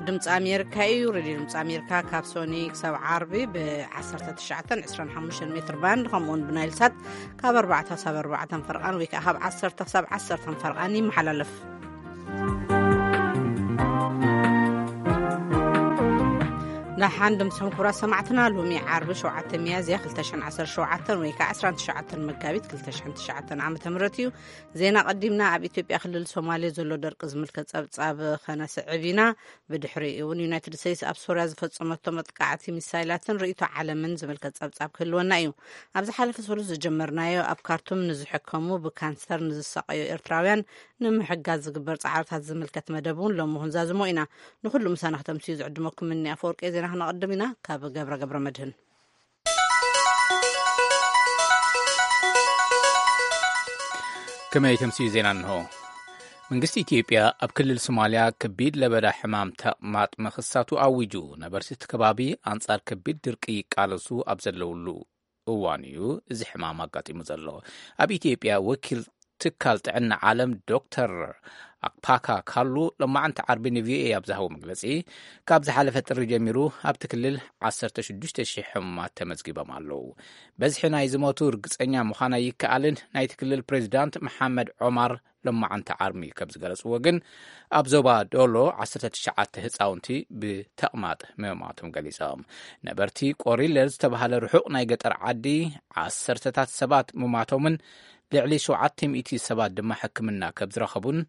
ድምፂ ኣሜሪካ እዩ። ሬድዮ ድምፂ ኣሜሪካ ካብ ሶኒ ክሳብ ዓርቢ ብ19፣ 25 ሜትር ባንድ፣ ከምኡውን ብናይል ሳት ካብ 4 ክሳብ 4 ፈርቓን ወይ ከዓ ካብ 10 ክሳብ 10 ፈርቓን ይመሓላለፍ። ደሓን ድምፅኹም ክቡራት ሰማዕትና። ሎሚ ዓርቢ 7 ሚያዝያ 2017 ወይ ከዓ 19 መጋቢት 2009 ዓ.ም እዩ። ዜና ቀዲምና። ኣብ ኢትዮጵያ ክልል ሶማሌ ዘሎ ደርቂ ዝምልከት ጸብጻብ ከነስዕብ ኢና። ብድሕሪኡ እውን ዩናይትድ ስቴትስ ኣብ ሶርያ ዝፈጸመቶ መጥቃዕቲ ሚሳይላትን ርእይቶ ዓለምን ዝምልከት ጸብጻብ ክህልወና እዩ። ኣብ ዝሓለፈ ሰሉስ ዝጀመርናዮ ኣብ ካርቱም ንዝሕከሙ ብካንሰር ንዝሰቀዩ ኤርትራውያን ንምሕጋዝ ዝግበር ጻዕርታት ዝምልከት መደብ እውን ሎሚ ክንዛዝሞ ኢና። ንኹሉ ምሳና ክተምስዩ ዝዕድመኩም እኒ ኣፈወርቂ ዜና ክነቐድም ኢና። ካብ ገብረ ገብረ መድህን። ከመይ ተምስዩ ዜና እንሆ። መንግስቲ ኢትዮጵያ ኣብ ክልል ሶማልያ ከቢድ ለበዳ ሕማም ተቕማጥ ምኽሳቱ ኣዊጁ። ነበርቲ እቲ ከባቢ ኣንጻር ከቢድ ድርቂ ይቃለሱ ኣብ ዘለውሉ እዋን እዩ እዚ ሕማም ኣጋጢሙ ዘሎ። ኣብ ኢትዮጵያ ወኪል ትካል ጥዕና ዓለም ዶክተር ኣክፓካ ካሉ ሎማዕንቲ ዓርቢ ንቪኦኤ ኣብ ዝሃቦ መግለጺ፣ ካብ ዝሓለፈ ጥሪ ጀሚሩ ኣብቲ ክልል 16,000 ሕሙማት ተመዝጊቦም ኣለዉ። በዝሒ ናይ ዝሞቱ ርግጸኛ ምዃን ኣይከኣልን። ናይቲ ክልል ፕሬዚዳንት መሓመድ ዖማር ሎማዕንቲ ዓርቢ ከም ዝገለጽዎ ግን፣ ኣብ ዞባ ዶሎ 19 ህጻውንቲ ብተቕማጥ ምማቶም ገሊጾም። ነበርቲ ቆሪለ ዝተባህለ ርሑቕ ናይ ገጠር ዓዲ ዓሰርተታት ሰባት ምማቶምን ልዕሊ 700 ሰባት ድማ ሕክምና ከም ዝረኸቡን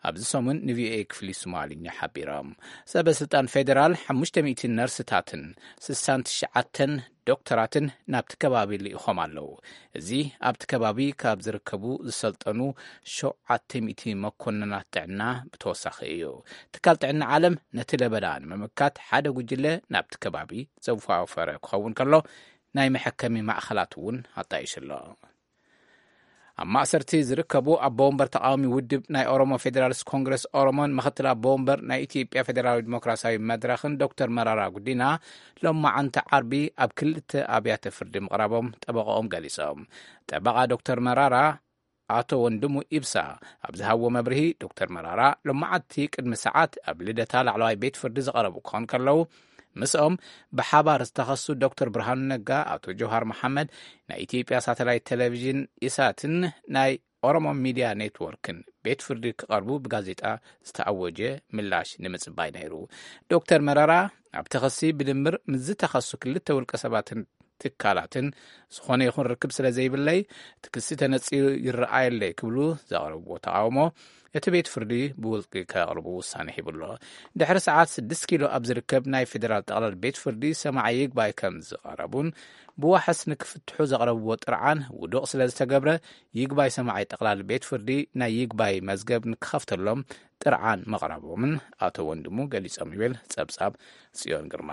ኣብዚ ሰሙን ንቪኦኤ ክፍሊ ሶማልኛ ሓቢሮም። ሰበ ስልጣን ፌደራል 500 ነርስታትን 69 ዶክተራትን ናብቲ ከባቢ ልኢኾም ኣለዉ። እዚ ኣብቲ ከባቢ ካብ ዝርከቡ ዝሰልጠኑ 700 መኮንናት ጥዕና ብተወሳኺ እዩ። ትካል ጥዕና ዓለም ነቲ ለበዳ ንምምካት ሓደ ጉጅለ ናብቲ ከባቢ ዘዋፈረ ክኸውን ከሎ፣ ናይ መሐከሚ ማእኸላት እውን ኣጣይሹ ኣሎ። ኣብ ማእሰርቲ ዝርከቡ ኣቦ ወንበር ተቃዋሚ ውድብ ናይ ኦሮሞ ፌዴራሊስት ኮንግረስ ኦሮሞን ምክትል ኣቦ ወንበር ናይ ኢትዮጵያ ፌዴራላዊ ዲሞክራሲያዊ መድረኽን ዶክተር መራራ ጉዲና ሎማዓንቲ ዓርቢ ኣብ ክልተ ኣብያተ ፍርዲ ምቕራቦም ጠበቃኦም ገሊጾም። ጠበቃ ዶክተር መራራ ኣቶ ወንድሙ ኢብሳ ኣብ ዝሃብዎ መብርሂ፣ ዶክተር መራራ ሎማዓንቲ ቅድሚ ሰዓት ኣብ ልደታ ላዕለዋይ ቤት ፍርዲ ዝቐረቡ ክኾን ከለዉ፣ ምስኦም ብሓባር ዝተኸሱ ዶክተር ብርሃኑ ነጋ፣ ኣቶ ጀውሃር መሓመድ፣ ናይ ኢትዮጵያ ሳተላይት ቴሌቪዥን ኢሳትን ናይ ኦሮሞ ሚድያ ኔትወርክን ቤት ፍርዲ ክቐርቡ ብጋዜጣ ዝተኣወጀ ምላሽ ንምጽባይ ነይሩ። ዶክተር መራራ ኣብቲ ክሲ ብድምር ምስ ዝተኸሱ ክልተ ውልቀ ሰባትን ትካላትን ዝኾነ ይኹን ርክብ ስለ ዘይብለይ፣ እቲ ክሲ ተነጺሩ ይረኣየለይ ክብሉ ዘቕረብዎ ተቓውሞ፣ እቲ ቤት ፍርዲ ብውልቂ ከቕርቡ ውሳነ ሂቡ ኣሎ። ድሕሪ ሰዓት 6 ኪሎ ኣብ ዝርከብ ናይ ፌዴራል ጠቕላል ቤት ፍርዲ ሰማዒ ይግባይ ከም ዝቐረቡን ብዋሕስ ንክፍትሑ ዘቕረብዎ ጥርዓን ውዱቕ ስለ ዝተገብረ፣ ይግባይ ሰማዒ ጠቕላል ቤት ፍርዲ ናይ ይግባይ መዝገብ ንክኸፍተሎም ጥርዓን ምቕራቦምን ኣቶ ወንድሙ ገሊጾም ይብል ጸብጻብ ጽዮን ግርማ።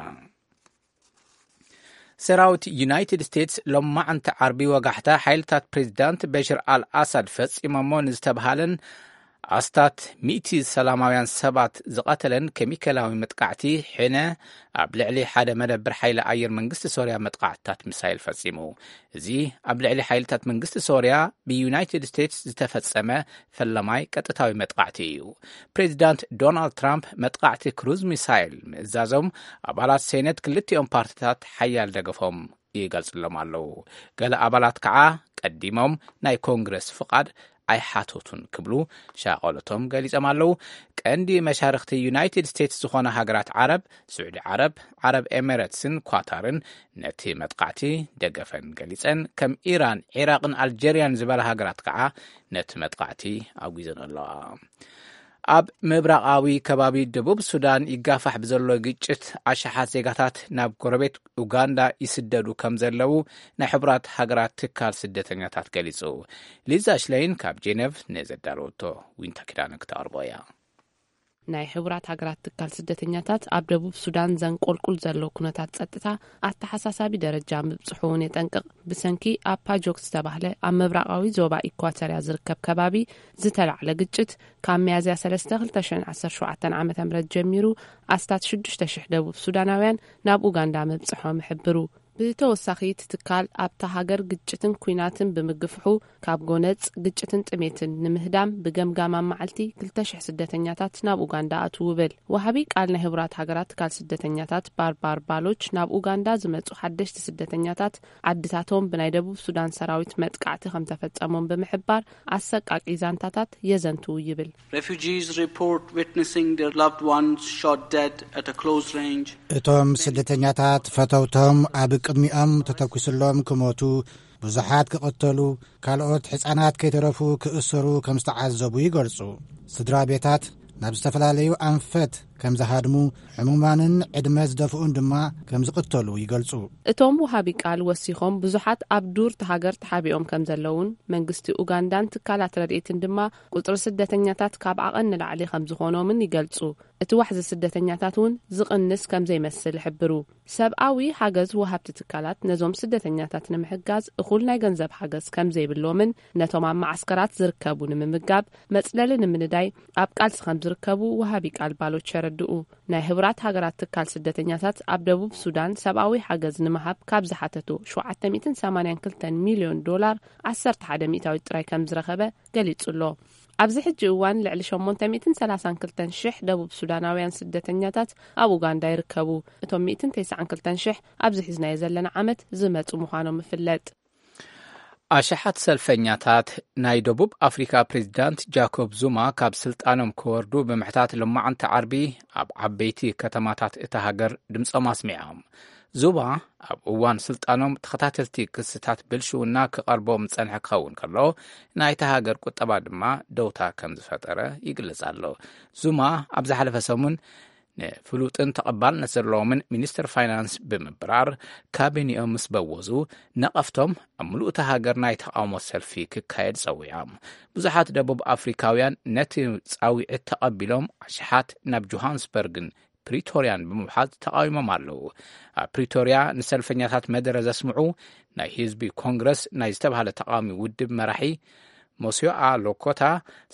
ሰራዊት ዩናይትድ ስቴትስ ሎማዓንቲ ዓርቢ ወጋሕታ ሓይልታት ፕሬዚዳንት በሽር ኣል ኣሳድ ፈጺሞሞ ንዝተባሃለን ኣስታት ሚእቲ ሰላማውያን ሰባት ዝቐተለን ኬሚካላዊ መጥቃዕቲ ሕነ ኣብ ልዕሊ ሓደ መደብር ሓይሊ ኣየር መንግስቲ ሶርያ መጥቃዕትታት ሚሳይል ፈጺሙ። እዚ ኣብ ልዕሊ ሓይልታት መንግስቲ ሶርያ ብዩናይትድ ስቴትስ ዝተፈጸመ ፈለማይ ቀጥታዊ መጥቃዕቲ እዩ። ፕሬዚዳንት ዶናልድ ትራምፕ መጥቃዕቲ ክሩዝ ሚሳይል ምእዛዞም ኣባላት ሴኔት ክልቲኦም ፓርቲታት ሓያል ደገፎም ይገልጽሎም ኣለዉ። ገለ ኣባላት ከዓ ቀዲሞም ናይ ኮንግረስ ፍቓድ ኣይሓተቱን ክብሉ ሻቐሎቶም ገሊጾም ኣለዉ። ቀንዲ መሻርኽቲ ዩናይትድ ስቴትስ ዝኾነ ሃገራት ዓረብ፣ ስዑዲ ዓረብ፣ ዓረብ ኤሚሬትስን ኳታርን ነቲ መጥቃዕቲ ደገፈን ገሊጸን፣ ከም ኢራን፣ ዒራቕን ኣልጀርያን ዝበላ ሃገራት ከዓ ነቲ መጥቃዕቲ ኣውጊዘን ኣለዋ። ኣብ ምብራቓዊ ከባቢ ደቡብ ሱዳን ይጋፋሕ ብዘሎ ግጭት ኣሽሓት ዜጋታት ናብ ጎረቤት ኡጋንዳ ይስደዱ ከም ዘለዉ ናይ ሕቡራት ሃገራት ትካል ስደተኛታት ገሊጹ። ሊዛ ሽለይን ካብ ጄኔቭ ንዘዳለወቶ ዊንታ ኪዳነ ክተቕርቦ እያ። ናይ ሕቡራት ሃገራት ትካል ስደተኛታት ኣብ ደቡብ ሱዳን ዘንቆልቁል ዘሎ ኩነታት ጸጥታ ኣተሓሳሳቢ ደረጃ ምብጽሑ እውን የጠንቅቕ። ብሰንኪ ኣብ ፓጆክ ዝተባህለ ኣብ ምብራቓዊ ዞባ ኢኳቶርያ ዝርከብ ከባቢ ዝተላዕለ ግጭት፣ ካብ ሚያዝያ 3 2017 ዓ.ም ጀሚሩ ኣስታት 6,000 ደቡብ ሱዳናውያን ናብ ኡጋንዳ ምብጽሖም ይሕብሩ። ብተወሳኺ፣ እቲ ትካል ኣብታ ሃገር ግጭትን ኲናትን ብምግፍሑ፣ ካብ ጎነጽ ግጭትን ጥሜትን ንምህዳም ብገምጋም ኣብ መዓልቲ ክልተ ሽሕ ስደተኛታት ናብ ኡጋንዳ ኣትዉ ይብል። ወሃቢ ቃል ናይ ህቡራት ሃገራት ትካል ስደተኛታት ባርባር ባሎች፣ ናብ ኡጋንዳ ዝመጹ ሓደሽቲ ስደተኛታት ዓድታቶም ብናይ ደቡብ ሱዳን ሰራዊት መጥቃዕቲ ከም ተፈጸሞም ብምሕባር፣ ኣሰቃቂ ዛንታታት የዘንትዉ ይብል። Refugees report witnessing their loved ones shot dead at a close range. እቶም ስደተኛታት ፈተውቶም ኣብ ቅድሚኦም ተተኲስሎም ክሞቱ፣ ብዙሓት ክቕተሉ፣ ካልኦት ሕጻናት ከይተረፉ ክእሰሩ ከም ዝተዓዘቡ ይገልጹ። ስድራ ቤታት ናብ ዝተፈላለዩ ኣንፈት ከም ዝሃድሙ፣ ሕሙማንን ዕድመ ዝደፍኡን ድማ ከም ዝቕተሉ ይገልጹ። እቶም ወሃቢ ቃል ወሲኾም፣ ብዙሓት ኣብ ዱር እታ ሃገር ተሓቢኦም ከም ዘለውን፣ መንግስቲ ኡጋንዳን ትካላት ረድኤትን ድማ ቁጽሪ ስደተኛታት ካብ ዓቐን ንላዕሊ ከም ዝኾኖምን ይገልጹ። እቲ ዋሕዚ ስደተኛታት እውን ዝቕንስ ከም ዘይመስል ይሕብሩ። ሰብኣዊ ሓገዝ ወሃብቲ ትካላት ነዞም ስደተኛታት ንምሕጋዝ እኹል ናይ ገንዘብ ሓገዝ ከም ዘይብሎምን፣ ነቶም ኣብ መዓስከራት ዝርከቡ ንምምጋብ፣ መጽለሊ ንምንዳይ ኣብ ቃልሲ ከም ዝርከቡ ወሃቢ ቃል ባሎች የረድኡ። ናይ ህቡራት ሃገራት ትካል ስደተኛታት ኣብ ደቡብ ሱዳን ሰብኣዊ ሓገዝ ንምሃብ ካብ ዝሓተቱ ሸውዓተ ሚእትን ሰማንያን ክልተን ሚልዮን ዶላር፣ ዓሰርተ ሓደ ሚእታዊት ጥራይ ከም ዝረኸበ ገሊጹ ኣሎ። ኣብዚ ሕጂ እዋን ልዕሊ ሸሞንተ ሚእትን ሰላሳን ክልተን ሽሕ ደቡብ ሱዳናውያን ስደተኛታት ኣብ ኡጋንዳ ይርከቡ። እቶም ሚእትን ተስዓን ክልተን ሽሕ ኣብዚ ሒዝናዮ ዘለና ዓመት ዝመጹ ምዃኖም ይፍለጥ። ኣሽሓት ሰልፈኛታት ናይ ደቡብ ኣፍሪካ ፕሬዚዳንት ጃኮብ ዙማ ካብ ስልጣኖም ክወርዱ ብምሕታት፣ ሎማዕንቲ ዓርቢ ኣብ ዓበይቲ ከተማታት እታ ሃገር ድምፆም ኣስሚዖም። ዙማ ኣብ እዋን ስልጣኖም ተኸታተልቲ ክስታት ብልሽውና ክቐርቦም ዝጸንሐ ክኸውን ከሎ፣ ናይታ ሃገር ቁጠባ ድማ ደውታ ከም ዝፈጠረ ይግለጽ ኣሎ። ዙማ ኣብ ዝሓለፈ ሰሙን ንፍሉጥን ተቐባልነት ዘለዎምን ሚኒስትር ፋይናንስ ብምብራር፣ ካቢኔኦም ምስ በወዙ፣ ነቐፍቶም ኣብ ምሉእ እታ ሃገር ናይ ተቓውሞ ሰልፊ ክካየድ ጸዊዖም። ብዙሓት ደቡብ ኣፍሪካውያን ነቲ ጻዊዕት ተቐቢሎም፣ ኣሽሓት ናብ ጆሃንስበርግን ፕሪቶርያን ብምውሓዝ ተቓዊሞም ኣለዉ። ኣብ ፕሪቶርያ ንሰልፈኛታት መደረ ዘስምዑ ናይ ህዝቢ ኮንግረስ ናይ ዝተባህለ ተቓዋሚ ውድብ መራሒ ሞሲዮኣ ሎኮታ፣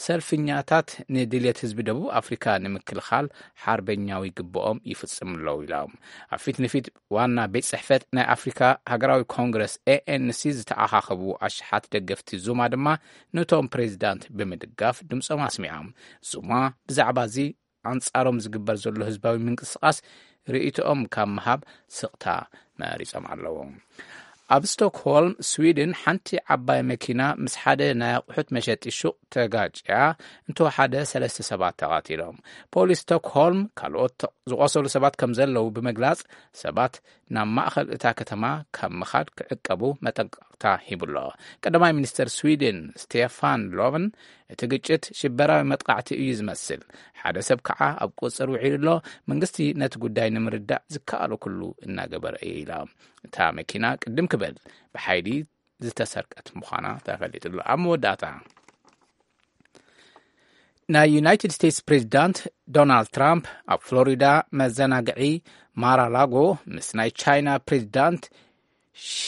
ሰልፍኛታት ንድልየት ህዝቢ ደቡብ ኣፍሪካ ንምክልኻል ሓርበኛዊ ግብኦም ይፍጽሙ ኣለዉ ኢሎም። ኣብ ፊት ንፊት ዋና ቤት ጽሕፈት ናይ ኣፍሪካ ሃገራዊ ኮንግረስ ኤ ኤን ሲ ዝተኣኻኸቡ ኣሽሓት ደገፍቲ ዙማ ድማ ነቶም ፕሬዚዳንት ብምድጋፍ ድምፆም ኣስሚዖም። ዙማ ብዛዕባ እዚ ኣንጻሮም ዝግበር ዘሎ ህዝባዊ ምንቅስቓስ ርእይቶኦም ካብ ምሃብ ስቕታ መሪጾም ኣለዉ። ኣብ ስቶክሆልም ስዊድን፣ ሓንቲ ዓባይ መኪና ምስ ሓደ ናይ ኣቑሑት መሸጢ ሹቕ ተጋጭያ፣ እንተወሓደ ሰለስተ ሰባት ተቓቲሎም። ፖሊስ ስቶክሆልም ካልኦት ዝቖሰሉ ሰባት ከም ዘለዉ ብምግላጽ፣ ሰባት ናብ ማእኸል እታ ከተማ ካብ ምኻድ ክዕቀቡ መጠንቀቕታ ሂቡ ኣሎ። ቀዳማይ ሚኒስተር ስዊድን ስቴፋን ሎቨን፣ እቲ ግጭት ሽበራዊ መጥቃዕቲ እዩ ዝመስል፣ ሓደ ሰብ ከዓ ኣብ ቁጽር ውዒሉ ኣሎ፣ መንግስቲ ነቲ ጉዳይ ንምርዳእ ዝከኣሎ ኩሉ እናገበረ እዩ ኢላ። እታ መኪና ቅድም ክብል ብሓይሊ ዝተሰርቀት ምዃና ተፈሊጡ ኣሎ። ኣብ መወዳእታ፣ ናይ ዩናይትድ ስቴትስ ፕሬዚዳንት ዶናልድ ትራምፕ ኣብ ፍሎሪዳ መዘናግዒ ማራላጎ ምስ ናይ ቻይና ፕሬዚዳንት ሺ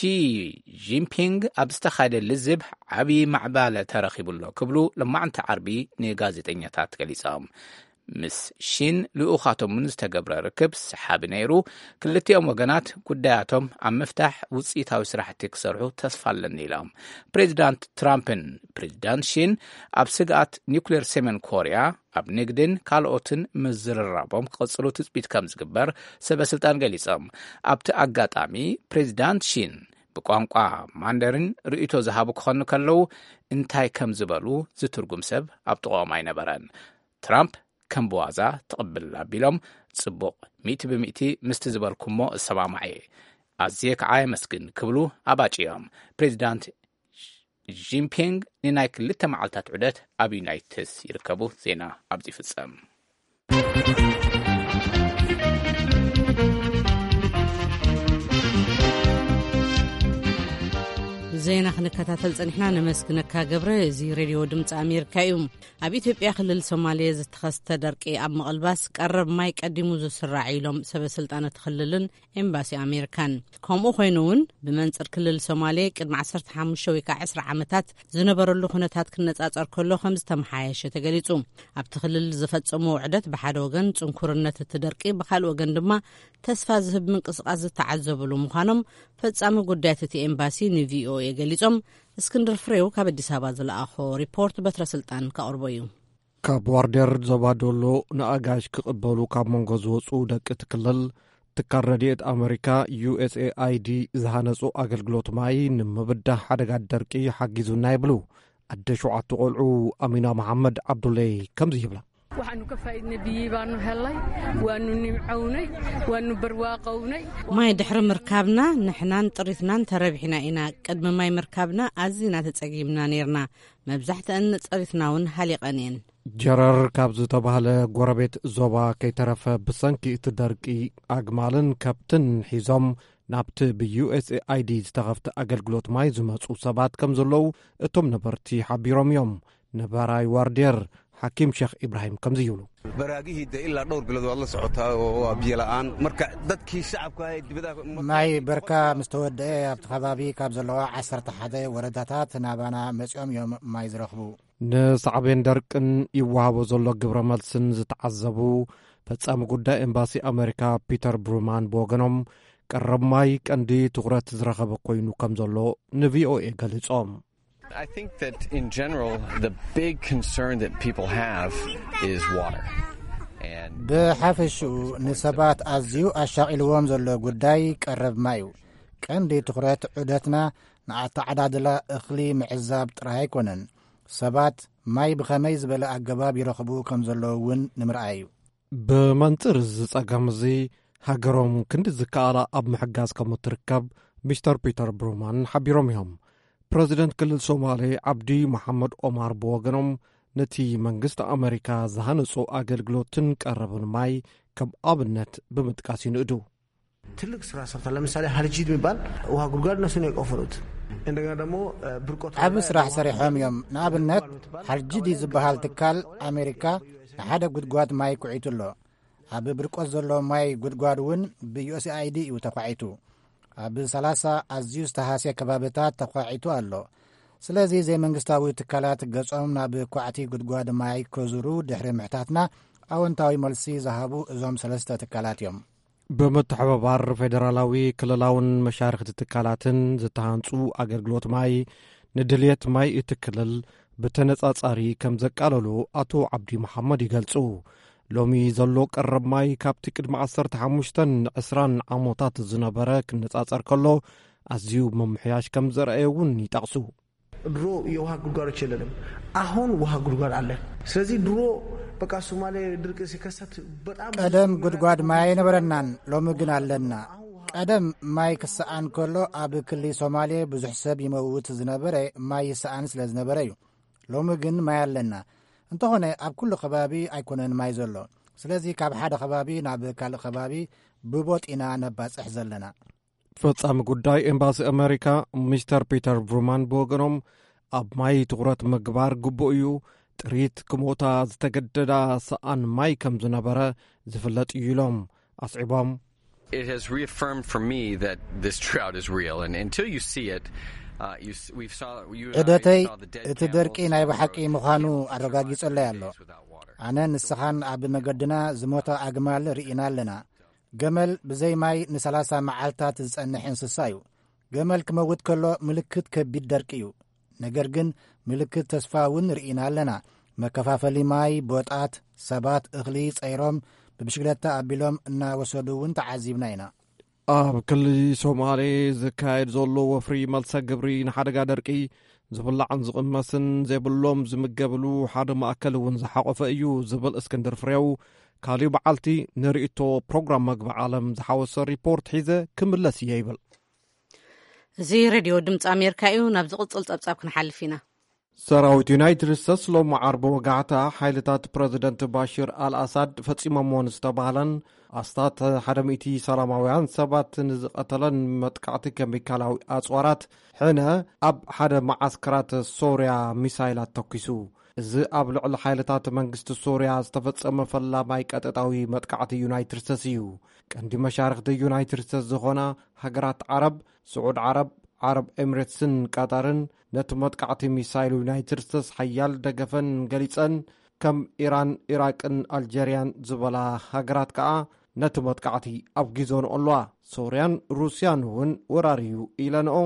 ጂንፒንግ ኣብ ዝተኻየደ ልዝብ ዓብዪ ማዕባለ ተረኺቡ ኣሎ ክብሉ ሎማዕንቲ ዓርቢ ንጋዜጠኛታት ገሊጾም። ምስ ሺን ልኡኻቶምን ዝተገብረ ርክብ ሰሓቢ ነይሩ። ክልቲኦም ወገናት ጉዳያቶም ኣብ ምፍታሕ ውፅኢታዊ ስራሕቲ ክሰርሑ ተስፋ ኣለኒ ኢሎም። ፕሬዚዳንት ትራምፕን ፕሬዚዳንት ሺን ኣብ ስግኣት ኒውክሌር ሰሜን ኮርያ፣ ኣብ ንግድን ካልኦትን ምዝርራቦም ክቕፅሉ ትፅቢት ከም ዝግበር ሰበ ስልጣን ገሊፆም። ኣብቲ ኣጋጣሚ ፕሬዚዳንት ሺን ብቋንቋ ማንደሪን ርእይቶ ዝሃቡ ክኾኑ ከለዉ፣ እንታይ ከም ዝበሉ ዝትርጉም ሰብ ኣብ ጥቕኦም ኣይነበረን። ትራምፕ ከም ብዋዛ ትቕብል ኣቢሎም፣ ጽቡቕ፣ ሚእቲ ብሚእቲ ምስቲ ዝበልኩሞ እሰማማዕ እየ፣ ኣዝየ ከዓ የመስግን ክብሉ ኣባጭዮም። ፕሬዚዳንት ጂንፒንግ ንናይ ክልተ መዓልታት ዑደት ኣብ ዩናይትድ ስቴትስ ይርከቡ። ዜና ኣብዚ ይፍጸም። ዜና ክንከታተል ጸኒሕና፣ ነመስግነካ ገብረ። እዚ ሬድዮ ድምፂ ኣሜሪካ እዩ። ኣብ ኢትዮጵያ ክልል ሶማሌ ዝተኸስተ ደርቂ ኣብ ምቕልባስ ቀረብ ማይ ቀዲሙ ዝስራዕ ኢሎም ሰበ ስልጣን እቲ ክልልን ኤምባሲ ኣሜሪካን። ከምኡ ኮይኑ እውን ብመንፅር ክልል ሶማሌ ቅድሚ ዓሰርተ ሓሙሽተ ወይ ከዓ ዕስራ ዓመታት ዝነበረሉ ኩነታት ክነፃፀር ከሎ ከም ዝተመሓየሸ ተገሊፁ። ኣብቲ ክልል ዝፈፀሞ ውዕደት ብሓደ ወገን ፅንኩርነት እቲ ደርቂ፣ ብካልእ ወገን ድማ ተስፋ ዝህብ ምንቅስቃስ ዝተዓዘብሉ ምዃኖም ፈጻሚ ጉዳያት እቲ ኤምባሲ ንቪኦኤ ገሊጾም። እስክንድር ፍሬው ካብ ኣዲስ ኣበባ ዝለኣኾ ሪፖርት በትረ ስልጣን ከቕርቦ እዩ። ካብ ዋርዴር ዞባ ዶሎ ንኣጋሽ ክቕበሉ ካብ መንጎ ዝወፁ ደቂ እቲ ክልል፣ ትካል ረድኤት ኣመሪካ ዩኤስኤኣይዲ ዝሃነፁ ኣገልግሎት ማይ ንምብዳህ ሓደጋ ደርቂ ሓጊዙና ይብሉ ኣደ ሸውዓተ ቆልዑ ኣሚና መሓመድ ዓብዱለይ ከምዚ ይብላ። Waxaanu ka faa'iidnay biyihii baanu helnay, waanu nimcownay, waanu barwaaqownay. ማይ ድሕሪ ምርካብና ንሕናን ጥሪትናን ተረቢሕና ኢና። ቅድሚ ማይ ምርካብና ኣዚና ተጸጊምና ነይርና። መብዛሕትአን ጥሪትና እውን ሃሊቐን እየን። ጀረር ካብ ዝተባህለ ጎረቤት ዞባ ከይተረፈ ብሰንኪ እቲ ደርቂ ኣግማልን ከብትን ሒዞም ናብቲ ብዩኤስኤኣይዲ ዝተኸፍተ ኣገልግሎት ማይ ዝመጹ ሰባት ከም ዘለዉ እቶም ነበርቲ ሓቢሮም እዮም። ነባራይ ዋርድየር ሓኪም ሸኽ ኢብራሂም ከምዚ ይብሉ። Baraagihii de ilaa dhowr bilood waad la socotaa oo waa biyo la'aan. Marka dadkii shacabka ah ee dibadaha ማይ በርካ ምስ ተወደአ ኣብቲ ከባቢ ካብ ዘለዋ ዓሰርተ ሓደ ወረዳታት ናባና መጺኦም እዮም ማይ ዝረኽቡ። ንሳዕቤን ደርቅን ይወሃቦ ዘሎ ግብረ መልስን ዝተዓዘቡ ፈጻሚ ጉዳይ ኤምባሲ ኣመሪካ ፒተር ብሩማን ብወገኖም፣ ቀረብ ማይ ቀንዲ ትኹረት ዝረኸበ ኮይኑ ከም ዘሎ ንቪኦኤ ገሊጾም። I think that in general, the big concern that people have is water. And ብሓፈሽኡ ንሰባት ኣዝዩ ኣሻቒልዎም ዘሎ ጉዳይ ቀረብ ማይ እዩ። ቀንዲ ትኹረት ዑደትና ንኣተዓዳድላ እኽሊ ምዕዛብ ጥራይ ኣይኮነን። ሰባት ማይ ብኸመይ ዝበለ ኣገባብ ይረኽቡ ከም ዘለዉ እውን ንምርኣይ እዩ። ብመንጽር እዚ ጸገም እዚ፣ ሃገሮም ክንዲ ዝከኣላ ኣብ ምሕጋዝ ከም እትርከብ ሚስተር ፒተር ብሩማን ሓቢሮም እዮም። ፕረዚደንት ክልል ሶማሌ ዓብዲ መሓመድ ኦማር ብወገኖም፣ ነቲ መንግስቲ ኣመሪካ ዝሃነጾ ኣገልግሎትን ቀረብን ማይ ከም ኣብነት ብምጥቃስ ይንእዱ። ትልቅ ስራ ሰርቷል። ለምሳሌ ሀርጂድ የሚባል ውሃ ጉድጓድ እነሱ ነው የቆፈሩት። እንደገና ደግሞ ብርቆት ዓቢ ስራሕ ሰሪሖም እዮም። ንኣብነት ሓርጂዲ ዝበሃል ትካል ኣሜሪካ ንሓደ ጉድጓድ ማይ ኩዒቱ ኣሎ። ኣብ ብርቆት ዘሎ ማይ ጉድጓድ እውን ብዩኤስኤኣይዲ እዩ ተኳዒቱ። ኣብ ሰላሳ ኣዝዩ ዝተሃስየ ከባብታት ተኳዒቱ ኣሎ። ስለዚ ዘይመንግስታዊ ትካላት ገጾም ናብ ኳዕቲ ጉድጓድ ማይ ከዙሩ ድሕሪ ምሕታትና ኣወንታዊ መልሲ ዝሃቡ እዞም ሰለስተ ትካላት እዮም። ብምትሕብባር ፌደራላዊ ክልላውን መሻርኽቲ ትካላትን ዝተሃንጹ ኣገልግሎት ማይ ንድልየት ማይ እቲ ክልል ብተነጻጻሪ ከም ዘቃለሉ ኣቶ ዓብዲ መሓመድ ይገልጹ። ሎሚ ዘሎ ቀረብ ማይ ካብቲ ቅድሚ ዓሰርተ ሓሙሽተን ዕስራን ዓመታት ዝነበረ ክነጻጸር ከሎ ኣዝዩ ምምሕያሽ ከም ዘርኣየ እውን ይጠቕሱ። ድሮ የውሃ ጉድጓዶች የለንም። አሁን ውሃ ጉድጓድ አለ። ስለዚህ ድሮ በቃ ሶማሌ ድርቅ ሲከሰት በጣም ቀደም ጉድጓድ ማይ ኣይነበረናን፣ ሎሚ ግን ኣለና። ቀደም ማይ ክሰኣን ከሎ ኣብ ክሊ ሶማሌ ብዙሕ ሰብ ይመውት ዝነበረ ማይ ይሰኣን ስለ ዝነበረ እዩ። ሎሚ ግን ማይ ኣለና። እንተኾነ ኣብ ኩሉ ከባቢ ኣይኮነን ማይ ዘሎ። ስለዚ ካብ ሓደ ከባቢ ናብ ካልእ ከባቢ ብቦጥ ኢና ነባጽሕ ዘለና። ፈጻሚ ጉዳይ ኤምባሲ ኣመሪካ ሚስተር ፒተር ብሩማን ብወገኖም፣ ኣብ ማይ ትኹረት ምግባር ግቡእ እዩ፣ ጥሪት ክሞታ ዝተገደዳ ሰኣን ማይ ከም ዝነበረ ዝፍለጥ እዩ ኢሎም ኣስዒቦም። It has reaffirmed for me that this drought is real, and until you see it, uh, you, s- we've saw, you and I ዕደተይ saw the dead እቲ camels ደርቂ ናይ over ብሓቂ the ምዃኑ Camel Drive ኣረጋጊጸለይ ኣሎ። Days without water. ኣነ ንስኻን ኣብ መገድና ዝሞታ ኣግማል ርኢና ኣለና። ገመል ብዘይ ማይ ንሰላሳ መዓልታት ዝጸንሕ እንስሳ እዩ። ገመል ክመውት ከሎ ምልክት ከቢድ ደርቂ እዩ። ነገር ግን ምልክት ተስፋ እውን ርኢና ኣለና። መከፋፈሊ ማይ፣ ቦጣት፣ ሰባት እኽሊ ጸይሮም ብብሽክለታ ኣቢሎም እናወሰዱ እውን ተዓዚብና ኢና። ኣብ ክልል ሶማሌ ዝካየድ ዘሎ ወፍሪ መልሰ ግብሪ ንሓደጋ ደርቂ ዝብላዕን ዝቕመስን ዘይብሎም ዝምገብሉ ሓደ ማእከል እውን ዝሓቖፈ እዩ ዝብል እስክንድር ፍሬው፣ ካሊእ በዓልቲ ንርእይቶ ፕሮግራም መግቢ ዓለም ዝሓወሰ ሪፖርት ሒዘ ክምለስ እየ ይብል። እዚ ሬድዮ ድምፂ ኣሜሪካ እዩ። ናብ ዝቕፅል ፀብፃብ ክንሓልፍ ኢና። ሰራዊት ዩናይትድ ስቴትስ ሎሚ ዓርቢ ወጋሕታ ሓይልታት ፕረዚደንት ባሽር ኣልኣሳድ ፈጺሞምዎ ንዝተባህለን ኣስታት ሓደ ሚእቲ ሰላማውያን ሰባት ንዝቐተለን መጥቃዕቲ ኬሚካላዊ ኣጽዋራት ሕነ ኣብ ሓደ መዓስከራት ሶርያ ሚሳይላት ተኲሱ። እዚ ኣብ ልዕሊ ሓይልታት መንግስቲ ሶርያ ዝተፈጸመ ፈላማይ ቀጥታዊ መጥቃዕቲ ዩናይትድ ስቴትስ እዩ። ቀንዲ መሻርኽቲ ዩናይትድ ስቴትስ ዝኾና ሃገራት ዓረብ፣ ስዑድ ዓረብ፣ ዓረብ ኤምሬትስን ቃጣርን ነቲ መጥቃዕቲ ሚሳይል ዩናይትድ ስቴትስ ሓያል ደገፈን ገሊጸን፣ ከም ኢራን፣ ኢራቅን ኣልጀርያን ዝበላ ሃገራት ከኣ ነቲ መጥቃዕቲ ኣውጊዞንኦ ኣለዋ። ሶርያን ሩስያን እውን ወራር እዩ ኢለንኦ።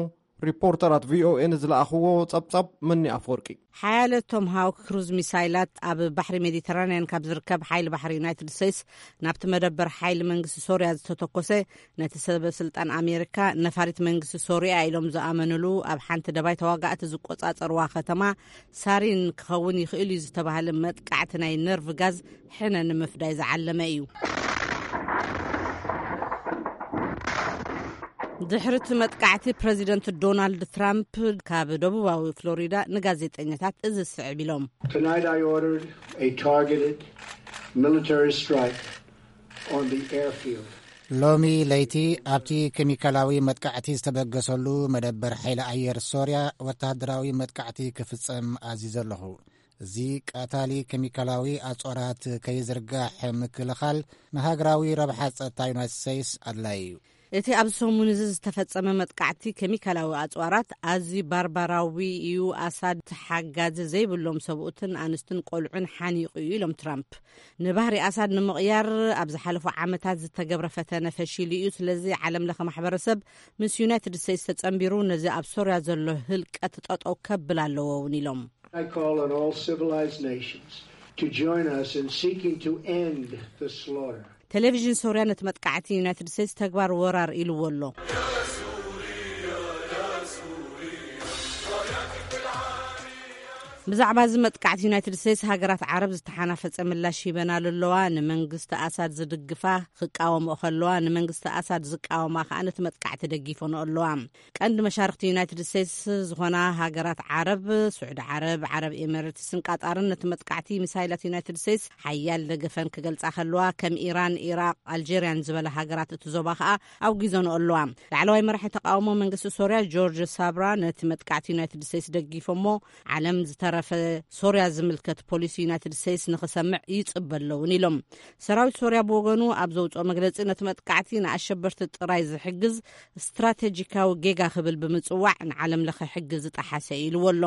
ሪፖርተራት ቪኦኤ ንዝለኣኽዎ ጸብጻብ መኒ ኣፈወርቂ። ሓያለ ቶምሃውክ ክሩዝ ሚሳይላት ኣብ ባሕሪ ሜዲተራንያን ካብ ዝርከብ ሓይሊ ባሕሪ ዩናይትድ ስቴትስ ናብቲ መደበር ሓይሊ መንግስቲ ሶርያ ዝተተኮሰ፣ ነቲ ሰበ ስልጣን ኣሜሪካ ነፋሪት መንግስቲ ሶርያ ኢሎም ዝኣመንሉ ኣብ ሓንቲ ደባይ ተዋጋእቲ ዝቆጻጸርዋ ከተማ ሳሪን ክኸውን ይኽእል እዩ ዝተባህለ መጥቃዕቲ ናይ ነርቭ ጋዝ ሕነ ንምፍዳይ ዝዓለመ እዩ። ድሕሪ እቲ መጥቃዕቲ ፕረዚደንት ዶናልድ ትራምፕ ካብ ደቡባዊ ፍሎሪዳ ንጋዜጠኛታት እዚ ዝስዕብ ኢሎም። Tonight I ordered a targeted military strike on the airfield. ሎሚ ለይቲ ኣብቲ ኬሚካላዊ መጥቃዕቲ ዝተበገሰሉ መደበር ሓይሊ ኣየር ሶርያ ወተሃደራዊ መጥቃዕቲ ክፍጸም ኣዚዘ ኣለኹ። እዚ ቀታሊ ኬሚካላዊ ኣጽዋራት ከይዝርጋሕ ምክልኻል ንሃገራዊ ረብሓ ጸጥታ ዩናይትድ ስቴትስ ኣድላዪ እዩ። እቲ ኣብዚ ሰሙን እዚ ዝተፈጸመ መጥቃዕቲ ኬሚካላዊ ኣጽዋራት ኣዝዩ ባርባራዊ እዩ። ኣሳድ ተሓጋዚ ዘይብሎም ሰብኡትን ኣንስትን ቆልዑን ሓኒቑ እዩ ኢሎም ትራምፕ። ንባህሪ ኣሳድ ንምቕያር ኣብ ዝሓለፉ ዓመታት ዝተገብረ ፈተነ ፈሺሉ እዩ። ስለዚ ዓለም ለኸ ማሕበረሰብ ምስ ዩናይትድ ስቴትስ ተጸንቢሩ ነዚ ኣብ ሶርያ ዘሎ ህልቀት ጠጠው ከብል ኣለዎ እውን ኢሎም። I call on all civilized nations to join us in seeking to end the slaughter. ቴሌቪዥን ሶርያ ነቲ መጥቃዕቲ ዩናይትድ ስቴትስ ተግባር ወራር ኢልዎ ኣሎ። ብዛዕባ እዚ መጥቃዕቲ ዩናይትድ ስቴትስ ሃገራት ዓረብ ዝተሓናፈጸ ምላሽ ሂበናሉ ኣለዋ። ንመንግስቲ ኣሳድ ዝድግፋ ክቃወምኦ ከለዋ፣ ንመንግስቲ ኣሳድ ዝቃወማ ከኣ ነቲ መጥቃዕቲ ደጊፈንኦ ኣለዋ። ቀንዲ መሻርኽቲ ዩናይትድ ስቴትስ ዝኾና ሃገራት ዓረብ፣ ስዑዲ ዓረብ፣ ዓረብ ኤሚሬትስን ቃጣርን ነቲ መጥቃዕቲ ሚሳይላት ዩናይትድ ስቴትስ ሓያል ደገፈን ክገልጻ ከለዋ፣ ከም ኢራን፣ ኢራቕ፣ ኣልጀርያን ዝበላ ሃገራት እቲ ዞባ ከኣ ኣውጊዘንኦ ኣለዋ። ላዕለዋይ መራሒ ተቃውሞ መንግስቲ ሶርያ ጆርጅ ሳብራ ነቲ መጥቃዕቲ ዩናይትድ ስቴትስ ደጊፎሞ፣ ዓለም ዝተረፈ ሶርያ ዝምልከት ፖሊሲ ዩናይትድ ስቴትስ ንኽሰምዕ ይጽበ ኣለውን ኢሎም። ሰራዊት ሶርያ ብወገኑ ኣብ ዘውጽኦ መግለጺ ነቲ መጥቃዕቲ ንኣሸበርቲ ጥራይ ዝሕግዝ ስትራቴጂካዊ ጌጋ ክብል ብምጽዋዕ ንዓለም ለኸ ሕጊ ዝጠሓሰ ኢልዎ ኣሎ።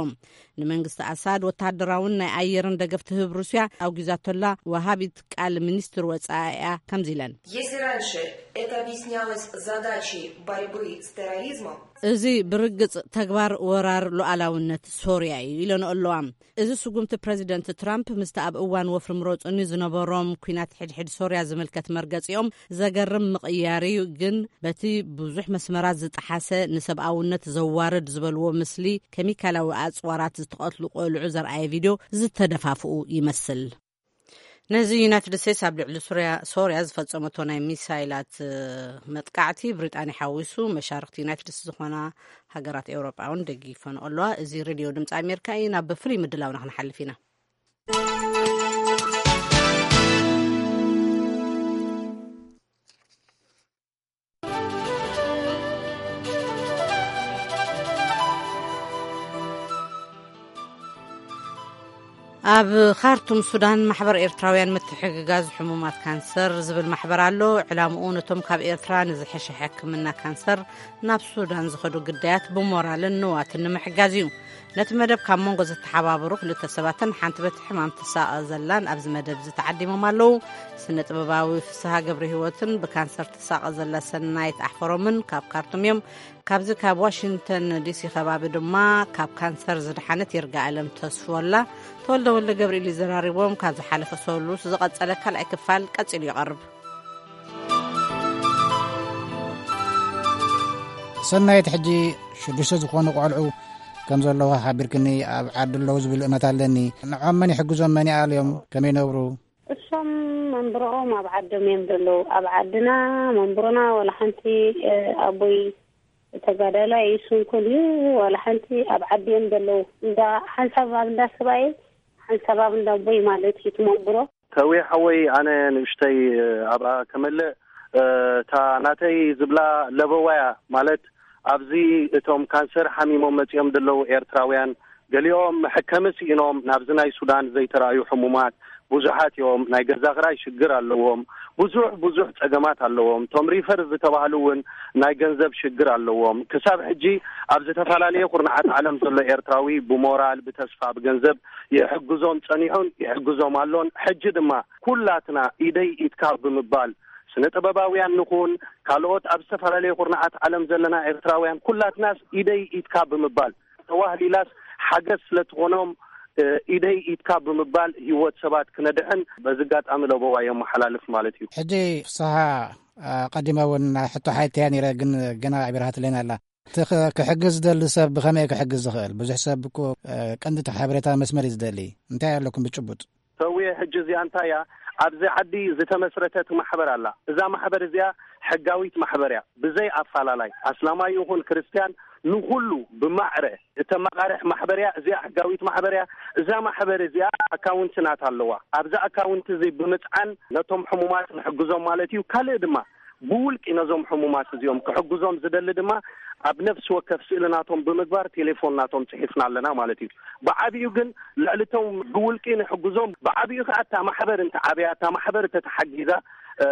ንመንግስቲ ኣሳድ ወተሃደራውን ናይ ኣየርን ደገፍ ትህብ ሩስያ ኣውጊዛቶላ ወሃቢት ቃል ሚኒስትር ወጻኢኣ ከምዚ ኢለን። Если раньше это объяснялось задачей борьбы с терроризмом, እዚ ብርግጽ ተግባር ወራር ሉዓላውነት ሶርያ እዩ ኢለንኦ ኣለዋ። እዚ ስጉምቲ ፕረዚደንት ትራምፕ ምስቲ ኣብ እዋን ወፍሪ ምረጹኒ ዝነበሮም ኲናት ሕድሕድ ሶርያ ዝምልከት መርገጺኦም ዘገርም ምቕያር እዩ፣ ግን በቲ ብዙሕ መስመራት ዝጠሓሰ ንሰብኣውነት ዘዋርድ ዝበልዎ ምስሊ ኬሚካላዊ ኣጽዋራት ዝተቐትሉ ቆልዑ ዘርኣየ ቪድዮ ዝተደፋፍኡ ይመስል። ነዚ ዩናይትድ ስቴትስ ኣብ ልዕሊ ሱርያ፣ ሶርያ ዝፈጸመቶ ናይ ሚሳይላት፣ እ፣ መጥቃዕቲ ብሪጣንያ ሓዊሱ መሻርኽቲ ዩናይትድ ስቴትስ ዝኾና ሃገራት ኤውሮጳ እውን ደጊፈንኦ ኣለዋ። እዚ ሬድዮ ድምፂ ኣሜሪካ እዩ። ናብ ፍሉይ ምድላውና ክንሓልፍ ኢና። ኣብ ካርቱም ሱዳን ማሕበር ኤርትራውያን ምትሕግጋዝ ሕሙማት ካንሰር ዝብል ማሕበር ኣሎ። ዕላምኡ ነቶም ካብ ኤርትራ ንዝሐሸ ሕክምና ካንሰር ናብ ሱዳን ዝኸዱ ግዳያት ብሞራልን ንዋትን ንምሕጋዝ እዩ። ነቲ መደብ ካብ መንጎ ዘተሓባበሩ ክልተ ሰባትን ሓንቲ በቲ ሕማም ትሳቐ ዘላን ኣብዚ መደብ እዚ ተዓዲሞም ኣለዉ። ስነ ጥበባዊ ፍስሃ ገብረ ህይወትን ብካንሰር ትሳቐ ዘላ ሰናይት ኣሕፈሮምን ካብ ካርቱም እዮም። ካብዚ ካብ ዋሽንግተን ዲሲ ከባቢ ድማ ካብ ካንሰር ዝደሓነት ይርጋኣለም ተስፎላ ተወልደ ወልደ ገብርኤል ይዘራርቦም። ካብ ዝሓለፈ ሰሉስ ዝቐጸለ ካልኣይ ክፋል ቀጺሉ ይቐርብ። ሰናይት፣ ሕጂ ሽዱሽተ ዝኾኑ ቆልዑ ከም ዘለዋ ሓቢርክኒ፣ ኣብ ዓዲ ኣለዉ ዝብል እምነት ኣለኒ። ንዖም መን ይሕግዞም? መን ይኣልዮም? ከመይ ይነብሩ? እሶም መንብሮኦም ኣብ ዓዶም እዮም ዘለዉ። ኣብ ዓድና መንብሮና ዋላ ሓንቲ፣ እ፣ ኣቦይ ተጋዳላይ እዩ፣ እሱ እንኮን እዩ ዋላ ሓንቲ ኣብ ዓዲ እዮም ዘለዉ። እንዳ ሓንሳብ ኣብ እንዳ ሰብኣይ፣ ሓንሳብ ኣብ እንዳ ኣቦይ ማለት እዩ እቲ መንብሮ። ተዊ ሓወይ፣ ኣነ ንእሽተይ ኣብኣ ከመልእ፣ እታ ናተይ ዝብላ ለበዋያ ማለት፣ ኣብዚ እቶም ካንሰር ሓሚሞም መጺኦም ዘለዉ ኤርትራውያን፣ ገሊኦም ሕከሚ ስኢኖም ናብዚ ናይ ሱዳን ዘይተራእዩ ሕሙማት ብዙሓት እዮም። ናይ ገዛ ክራይ ሽግር ኣለዎም። ብዙሕ ብዙሕ ጸገማት ኣለዎም። እቶም ሪፈር ዝተባህሉ እውን ናይ ገንዘብ ሽግር ኣለዎም። ክሳብ ሕጂ ኣብ ዝተፈላለየ ኩርናዓት ዓለም ዘሎ ኤርትራዊ ብሞራል፣ ብተስፋ፣ ብገንዘብ ይሕግዞም ጸኒሑን ይሕግዞም ኣሎን። ሕጂ ድማ ኩላትና ኢደይ ኢድካ ብምባል፣ ስነ ጥበባውያን ንኹን፣ ካልኦት ኣብ ዝተፈላለየ ኩርናዓት ዓለም ዘለና ኤርትራውያን፣ ኩላትናስ ኢደይ ኢድካ ብምባል፣ ተዋህሊላስ ሓገዝ ስለ ትኾኖም፣ እ፣ ኢደይ ኢድካ ብምባል ህይወት ሰባት ክነድሕን በዚ ኣጋጣሚ ለበዋ የመሓላልፍ ማለት እዩ። ሕጂ ፍስሃ፣ እ፣ ቀዲመ እውን ሕቶ ሓቲተያ ነይረ፣ ግን ገና ኣዕቢርሃትለይና ኣላ። እቲ ክ-፣ ክሕግዝ ዝደሊ ሰብ ብኸመይ ክሕግዝ ዝኽእል? ብዙሕ ሰብ እኮ፣ እ፣ ቀንዲ እቲ ሓበሬታ መስመር እዩ ዝደሊ። እንታይ ኣለኩም ብጭቡጥ? ሰውየ፣ ሕጂ እዚኣ እንታይ እያ? ኣብዚ ዓዲ ዝተመስረተት ማሕበር ኣላ። እዛ ማሕበር እዚኣ ሕጋዊት ማሕበር እያ። ብዘይ ኣፋላላይ፣ ኣስላማይ ይኹን ክርስትያን፣ ንኹሉ ብማዕረ እተመቓርሕ ማሕበር እያ። እዚኣ ሕጋዊት ማሕበር እያ። እዛ ማሕበር እዚኣ ኣካውንቲ ናታ ኣለዋ። ኣብዛ ኣካውንቲ እዚ ብምጽዓን ነቶም ሕሙማት ንሕግዞም ማለት እዩ። ካልእ ድማ ብውልቂ ነዞም ሕሙማት እዚኦም ክሕግዞም ዝደሊ ድማ ኣብ ነፍሲ ወከፍ ስእሊ ናቶም ብምግባር ቴሌፎን ናቶም ጽሒፍና ኣለና ማለት እዩ። ብዓቢኡ ግን ልዕሊ እቶም ብውልቂ ንሕግዞም፣ ብዓቢኡ ከኣ እታ ማሕበር እንተዓብያ፣ እታ ማሕበር እንተተሓጊዛ፣ እ፣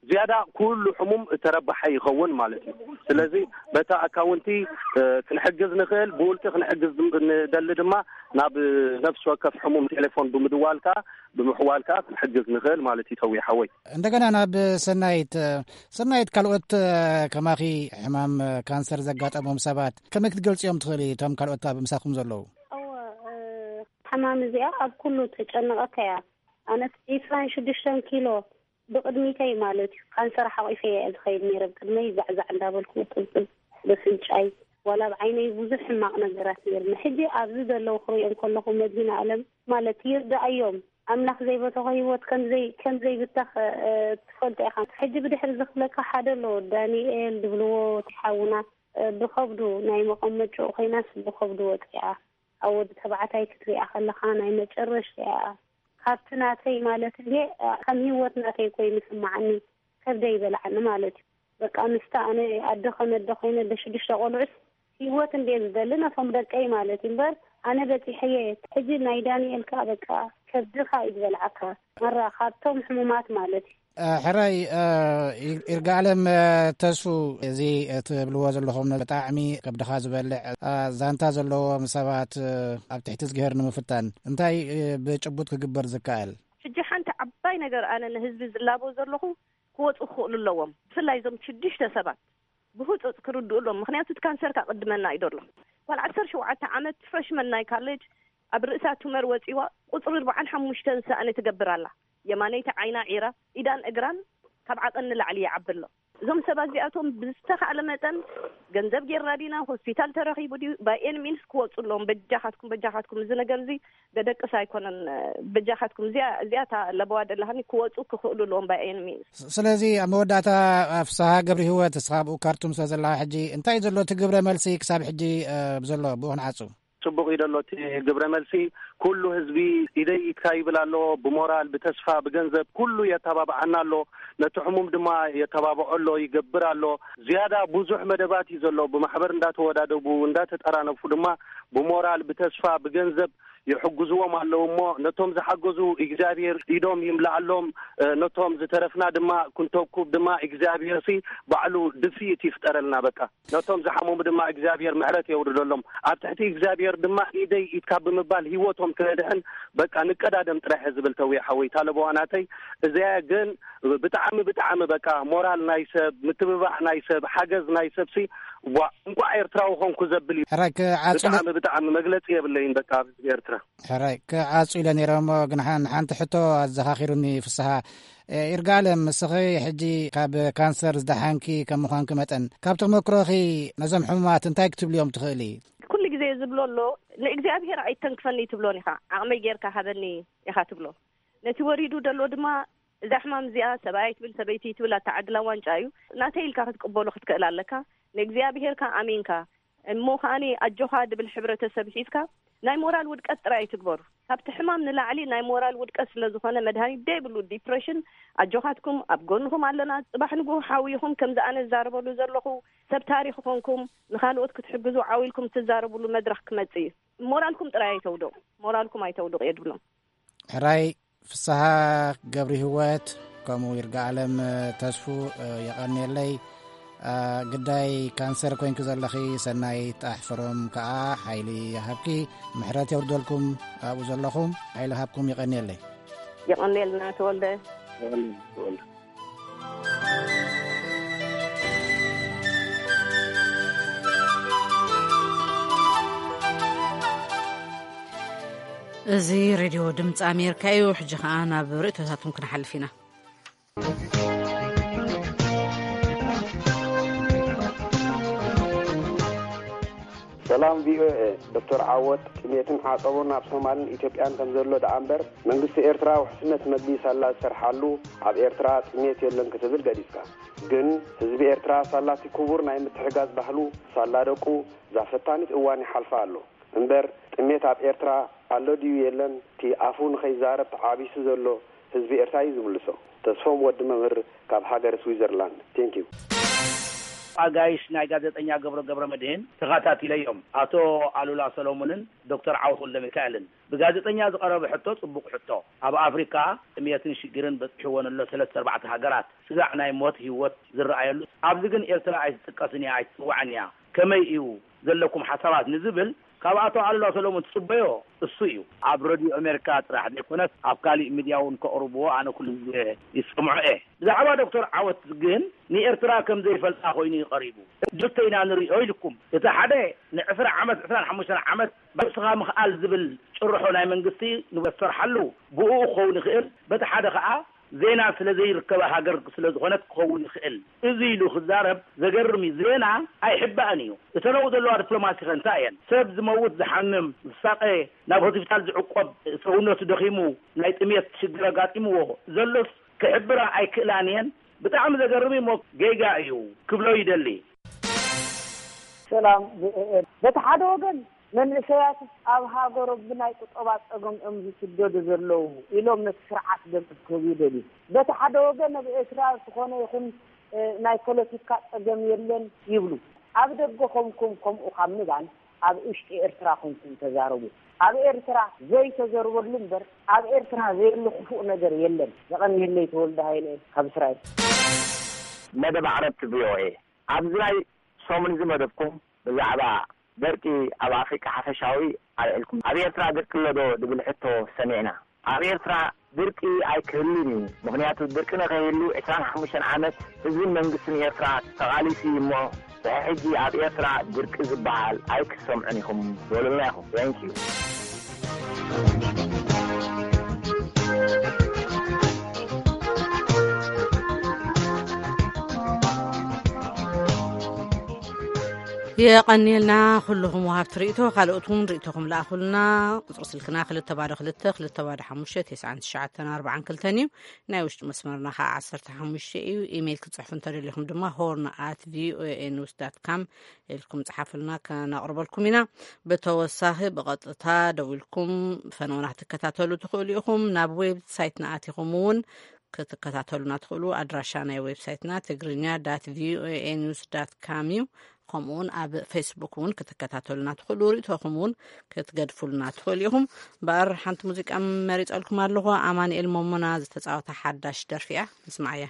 ዝያዳ ኩሉ ሕሙም እተረባሐ ይኸውን ማለት እዩ። ስለዚ በታ ኣካውንቲ፣ እ፣ ክንሕግዝ ንኽእል፣ ብውልቂ ክንሕግዝ ንደሊ ድማ ናብ ነፍሲ ወከፍ ሕሙም ቴሌፎን ብምድዋል ከኣ፣ ብምሕዋል ከኣ ክንሕግዝ ንኽእል ማለት እዩ። ተዊ ሓወይ። እንደገና ናብ ሰናይት፣ ሰናይት፣ ካልኦት ከማኺ ሕማም ካንሰር ዘጋጠሞም ሰባት ከመይ ክትገልጽዮም ትኽእሊ? እቶም ካልኦት ኣብ ምሳኹም ዘለዉ? እወ፣ እ፣ ሕማም እዚኣ ኣብ ኩሉ ተጨንቐካ እያ። ኣነስ ዒስራን ሽዱሽተን ኪሎ ብቕድሚተይ ማለት እዩ፣ ካንሰር ሓቒፈ እየ ዝኸይድ ነይረ። ብቅድመይ ዛዕዛዕ እንዳበልኩ ቅብቅብ በፍንጫይ፣ ዋላ ኣብ ዓይነይ ብዙሕ ሕማቕ ነገራት ነይርኒ። ሕጂ ኣብዚ ዘለዉ ክሪኦም ከለኹ መድህን ኣለም ማለት ይርዳኣዮም። ኣምላኽ ዘይበተኾ ህይወት ከምዘይ-፣ ከምዘይብተኽ፣ እ፣ ትፈልጦ ኢኻ። ሕጂ ብድሕሪ ዝኽለካ ሓደ ኣሎ፣ ዳንኤል ድብልዎ፣ እቲ ሓውና፣ እ፣ ብኸብዱ ናይ መቐመጭኡ ኮይናስ ብኸብዱ ወፂኣ። ኣብ ወዲ ተባዕታይ ክትሪኣ ከለኻ ናይ መጨረሽታ እያ። ካብቲ ናተይ ማለት እንዴ፣ እ፣ ከም ህይወት ናተይ ኮይኑ ይስማዓኒ። ከብደይ ይበልዓኒ ማለት እዩ። በቃ ምስታ ኣነ ኣደ ከም ኣደ ኮይነ፣ ኣደ ሽዱሽተ ቆልዑስ ህይወት እንዴ ዝደሊ ነቶም ደቀይ ማለት እዩ። እምበር ኣነ በጺሐየ። ሕጂ ናይ ዳንኤል ከኣ በቃ ከብድኻ እዩ ዝበልዓካ። መራ ካብቶም ሕሙማት ማለት እዩ። እ፣ ሕራይ፣ እ፣ ይር-፣ ይርጋለም፣ እ፣ ተስፉ፣ እዚ እትብልዎ ዘለኹም ብጣዕሚ ከብድኻ ዝበልዕ፣ እ፣ ዛንታ ዘለዎም ሰባት፣ እ፣ ኣብ ትሕቲ እዝግሄር ንምፍታን እንታይ፣ እ፣ ብጭቡጥ ክግበር ዝከኣል? ሕጂ ሓንቲ ዓባይ ነገር ኣነ ንህዝቢ ዝላቦ ዘለኹ፣ ክወጹ ክኽእሉ ኣለዎም። ብፍላይ እዞም ሽዱሽተ ሰባት ብህጹጽ ክርድኡ ኣለዎም። ምኽንያቱ እቲ ካንሰር ካቕድመና እዩ ዘሎ። ጓል ዓሰርተ ሸውዓተ ዓመት ፍረሽመን ናይ ካሌጅ ኣብ ርእሳ ቱመር ወጺዋ ቁጽሪ ኣርባዓን ሓሙሽተን ሳእኒ ትገብር ኣላ። የማነይቲ ዓይና ዒራ፣ ኢዳን እግራን ካብ ዓቐን ንላዕሊ ይዓቢ ኣሎ። እዞም ሰባት እዚኣቶም ብዝተኻእለ መጠን ገንዘብ ጌርና ዲና፣ ሆስፒታል ተረኺቡ ድዩ፣ by any means ክወጹ ኣለዎም። በጃኻትኩም፣ በጃኻትኩም፣ እዚ ነገር እዚ ደደቅስ ኣይኮነን። በጃኻትኩም፣ እዚኣ፣ እዚኣ እታ ለበዋ ደላሃኒ ክወጹ ክኽእሉ ኣለዎም by any means። ስ-፣ ስለዚ ኣብ መወዳእታ፣ እ፣ ፍስሃ ገብረ ህይወት፣ እስኻ ኣብኡ ካርቱም ስለ ዘለኻ ሕጂ እንታይ ዘሎ እቲ ግብረ መልሲ ክሳብ ሕጂ፣ እ፣ ዘሎ ብኡ ክንዓጹ? ጽቡቕ እዩ ደሎ እቲ ግብረ መልሲ። ኩሉ ህዝቢ ኢደይ ኢድካ ይብል ኣሎ። ብሞራል፣ ብተስፋ፣ ብገንዘብ ኩሉ የተባብዓና ኣሎ። ነቲ ሕሙም ድማ የተባብዖ ኣሎ፣ ይገብር ኣሎ። ዝያዳ ብዙሕ መደባት እዩ ዘሎ። ብማሕበር እንዳተወዳደቡ፣ እንዳተጠራነፉ ድማ ብሞራል፣ ብተስፋ፣ ብገንዘብ ይሕግዝዎም ኣለዉ እሞ ነቶም ዝሓገዙ እግዚኣብሔር ኢዶም ይምልኣሎም። እ፣ ነቶም ዝተረፍና ድማ ክንተኩብ ድማ እግዚኣብሔር ሲ ባዕሉ ድፍኢት ይፍጠረልና። በቃ ነቶም ዝሓመሙ ድማ እግዚኣብሔር ምሕረት የውርደሎም። ኣብ ትሕቲ እግዚኣብሔር ድማ ኢደይ ኢድካ ብምባል ህይወቶም ክነድሕን በቃ ንቀዳደም ጥራሕ እየ ዝብል። ተውየ ሓወይ፣ እታ ለበዋ ናተይ እዚኣ ግን ብጣዕሚ፣ ብጣዕሚ በቃ ሞራል ናይ ሰብ፣ ምትብባዕ ናይ ሰብ፣ ሓገዝ ናይ ሰብ ሲ ዋ፣ እንቋዕ ኤርትራዊ ኾንኩ ዘብል እዩ። ሕራይ ክዓጹ ለ- ብጣዕሚ፣ ብጣዕሚ መግለጺ የብለይን በቃ ኣብ ህዝቢ ኤርትራ። ሕራይ ክዓጹ ኢለ ነይረ እሞ ግን ሓን-፣ ሓንቲ ሕቶ ኣዘኻኺሩኒ ፍስሃ። እ፣ ይርጋለም፣ ንስኺ ሕጂ ካብ ካንሰር ዝደሓንኪ ከም ምዃንኪ መጠን፣ ካብ ተመክሮኺ ነዞም ሕሙማት እንታይ ክትብልዮም ትኽእሊ? ኩሉ ግዜ ዝብሎ ኣሎ፣ "ንእግዚኣብሔር ኣይተንክፈኒ" ትብሎን ኢኻ። "ዓቕመይ ጌርካ ሃበኒ" ኢኻ ትብሎ። ነቲ ወሪዱ ደሎ ድማ፣ እዛ ሕማም እዚኣ ሰብኣይ ትብል፣ ሰበይቲ ትብል፣ ኣታ ዓድላ ዋንጫ እዩ። ናተይ ኢልካ ክትቅበሎ ክትክእል ኣለካ። ንእግዚኣብሔር ከኣ ኣሚንካ፣ እሞ ከኣኒ ኣጆኻ ድብል ሕብረተሰብ ሒዝካ፣ ናይ ሞራል ውድቀት ጥራይ ኣይትግበሩ። ካብቲ ሕማም ንላዕሊ ናይ ሞራል ውድቀት ስለ ዝኾነ፣ መድሃኒት ደይብሉ ዲፕሬሽን፣ ኣጆኻትኩም፣ ኣብ ጎንኹም ኣለና። ጽባሕ ንግሆ ሓውይኹም ከምዚ ኣነ ዝዛረበሉ ዘለኹ ሰብ ታሪኽ ኮንኩም ንኻልኦት ክትሕግዙ ዓው ኢልኩም ትዛረብሉ መድረኽ ክመጽእ እዩ። ሞራልኩም ጥራይ ኣይተውድቑ፣ ሞራልኩም ኣይተውድቑ እየ ድብሎም። ሕራይ ፍስሃ ገብሪ ህይወት፣ ከምኡ ይርጋ ኣለም ተስፉ፣ የቐንየለይ። ግዳይ ካንሰር ኮይንኪ ዘለኺ ሰናይት ኣሕፍሮም ከኣ ሓይሊ ይሃብኪ፣ ምሕረት የውርደልኩም። ኣብኡ ዘለኹም ሓይሊ ሃብኩም። የቐንየለይ። የቐንየልና ተወልደ። እዚ ሬድዮ ድምፂ ኣሜሪካ እዩ። ሕጂ ኸኣ ናብ ርእይቶታትኩም ክንሓልፍ ኢና። ሰላም ቪኦኤ። ዶክተር ዓወት፣ ጥሜትን ዓጸቦን ኣብ ሶማልን ኢትዮጵያን ከም ዘሎ ደኣ እምበር፣ መንግስቲ ኤርትራ ውሕስነት መግቢ ሳላ ዝሰርሓሉ፣ ኣብ ኤርትራ ጥሜት የለን ክትብል ገሊጽካ። ግን ህዝቢ ኤርትራ ሳላቲ ክቡር ናይ ምትሕጋዝ ባህሉ፣ ሳላ ደቁ፣ እዛ ፈታኒት እዋን ይሓልፋ ኣሎ። እምበር ጥሜት ኣብ ኤርትራ ኣሎ ድዩ የለን፣ እቲ ኣፉ ንኸይዛረብ ተዓቢሱ ዘሎ ህዝቢ ኤርትራ እዩ ዝምልሶ። ተስፎም ወዲ መምህር ካብ ሃገረ ስዊዘርላንድ። Thank you። ኣጋይሽ ናይ ጋዜጠኛ ገብረ ገብረ መድህን ተኸታቲለዮም። ኣቶ ኣሉላ ሰሎሞንን ዶክተር ዓወት ወልደ ሚካኤልን ብጋዜጠኛ ዝቐረበ ሕቶ ጽቡቕ ሕቶ። ኣብ ኣፍሪካ ጥምየትን ሽግርን በጽሕወን ኣሎ ሰለስተ ኣርባዕተ ሃገራት። ስጋዕ ናይ ሞት ህይወት ዝረኣየሉ። ኣብዚ ግን ኤርትራ ኣይትጥቀስን እያ፣ ኣይትጽዋዕን እያ። ከመይ እዩ ዘለኩም ሓሳባት ንዝብል ካብ ኣቶ ኣሉላ ሰሎሞን ትጽበዮ እሱ እዩ። ኣብ ረድዮ ኣሜሪካ ጥራሕ ዘይኮነስ ኣብ ካሊእ ሚድያ እውን ከቕርብዎ ኣነ ኩሉ ግዜ ይሰምዖ እየ። ብዛዕባ ዶክተር ዓወት ግን ንኤርትራ ከም ዘይፈልጣ ኮይኑ እዩ ቀሪቡ። ክልተ ኢና ንሪኦ ኢልኩም። እቲ ሓደ ንዕስራ ዓመት፣ ዕስራን ሓሙሽተን ዓመት ባዕስኻ ምኽኣል ዝብል ጭርሖ ናይ መንግስቲ ንሰርሓሉ ብኡ ክኸውን ይኽእል። በቲ ሓደ ከዓ ዜና ስለ ዘይርከባ ሃገር ስለ ዝኾነት ክኸውን ይኽእል። እዚ ኢሉ ክዛረብ ዘገርም እዩ። ዜና ኣይሕባእን እዩ። እተን ኣብኡ ዘለዋ ዲፕሎማሲ ከ እንታይ እየን? ሰብ ዝመውት፣ ዝሓምም፣ ዝሳቐ፣ ናብ ሆስፒታል ዝዕቆብ፣ ሰውነቱ ደኺሙ፣ ናይ ጥሜት ሽግር ኣጋጢምዎ ዘሎስ ክሕብራ ኣይክእላን እየን። ብጣዕሚ ዘገርም እዩ እሞ ጌጋ እዩ ክብሎ ይደሊ። ሰላም ቪኦኤ። በቲ ሓደ ወገን መንእሰያት ኣብ ሃገሮም ብናይ ቁጠባ ጸገም እዮም ዝስደዱ ዘለዉ ኢሎም ነቲ ስርዓት ደገፍ ክህቡ ይደልዩ። በቲ ሓደ ወገን ኣብ ኤርትራ ዝኾነ ይኹን ናይ ፖለቲካ ጸገም የለን ይብሉ። ኣብ ደገ ኮንኩም ከምኡ ካብ ምባል ኣብ ውሽጢ ኤርትራ ኮንኩም ተዛረቡ። ኣብ ኤርትራ ዘይተዘርበሉ እምበር ኣብ ኤርትራ ዘየለ ክፉእ ነገር የለን። የቐንየለይ ተወልደ ሃይለ ካብ እስራኤል። መደብ ዓረብቲ ቪኦኤ ኣብዚ ናይ ሰሙን እዚ መደብኩም ብዛዕባ ደርቂ ኣብ ኣፍሪቃ ሓፈሻዊ ኣልዒልኩም። ኣብ ኤርትራ ድርቂ ኣሎ ዶ ዝብል ሕቶ ሰሚዕና። ኣብ ኤርትራ ድርቂ ኣይክህሉን እዩ። ምኽንያቱ ድርቂ ንኸይህሉ ዕስራን ሓሙሽተን ዓመት ህዝብን መንግስትን ኤርትራ ተቓሊሱ እዩ እሞ ድሕሪ ሕጂ ኣብ ኤርትራ ድርቂ ዝበሃል ኣይክትሰምዑን ኢኹም በሉልና ኢኹም። Thank you። የቐንየልና ኩልኹም ወሃብቲ ርእይቶ። ካልኦት እውን ርእይቶኹም ለኣኹልና። ቁፅሪ ስልክና ክልተ ባዶ ክልተ ክልተ ባዶ ሓሙሽተ ተስዓን ትሽዓተን ኣርባዓን ክልተን እዩ። ናይ ውሽጢ መስመርና ከዓ ዓሰርተ ሓሙሽተ እዩ። ኢሜይል ክትፅሕፉ እንተደሊኹም ድማ ሆርን ኣት ቪኦኤ ኒውስ ዳት ካም ኢልኩም ፀሓፉልና፣ ከነቕርበልኩም ኢና። ብተወሳኺ ብቐጥታ ደዊልኩም ፈነውና ክትከታተሉ ትኽእሉ ኢኹም። ናብ ዌብ ሳይትና ኣቲኹም እውን ክትከታተሉና ትኽእሉ። ኣድራሻ ናይ ዌብሳይትና ትግርኛ ዳት ቪኦኤ ኒውስ ዳት ካም እዩ። ከምኡውን ኣብ ፌስቡክ እውን ክትከታተሉና ትኽእሉ። ርእቶኹም እውን ክትገድፉልና ትኽእሉ ኢኹም። እምበኣር ሓንቲ ሙዚቃ መሪጸልኩም ኣለኹ። ኣማኑኤል መሞና ዝተጻወታ ሓዳሽ ደርፊ እያ። ንስማዓያ።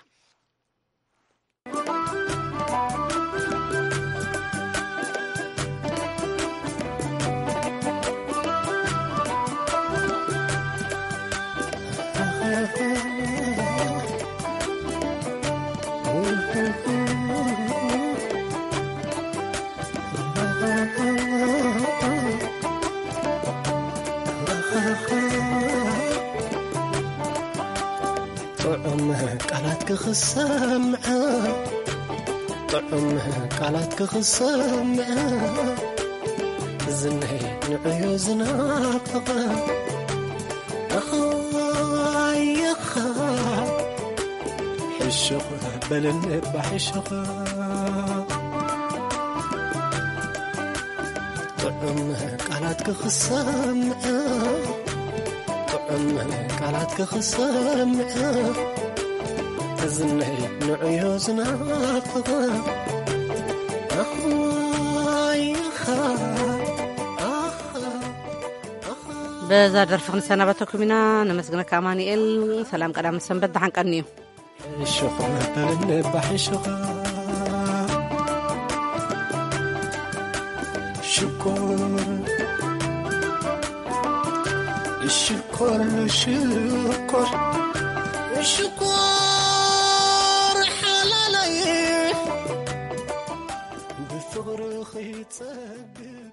ጥዑም ቃላት ክኽሰምዐ ጥዑም ቃላት ክኽሰምዐ ዝነይ ንዕዮ ዝናፍቐ ኣኻይኻ ሕሹኽ በልኒ እባ ሕሹኽ። ጥዑም ቃላት ክኽሰምዕ፣ ጥዑም ቃላት ክኽሰምዕ፣ እዝነይ ንዕዮ ዝናፍቕ። ኣኽዋይኻ፣ ኣኻ፣ ኣኻ። በዛ ደርፊ ክንሰናበተኩም ኢና። ነመስግነካ ኣማኑኤል። ሰላም ቀዳም ሰንበት፣ ደሓን ቀንዩ። ሽኾር በለኒ ባሕሽኻ። ሽኮር፣ ሽኮር፣ ሽኮር፣ ሽኮር ሓላለይ ብፍቕርኺ ጸግብ።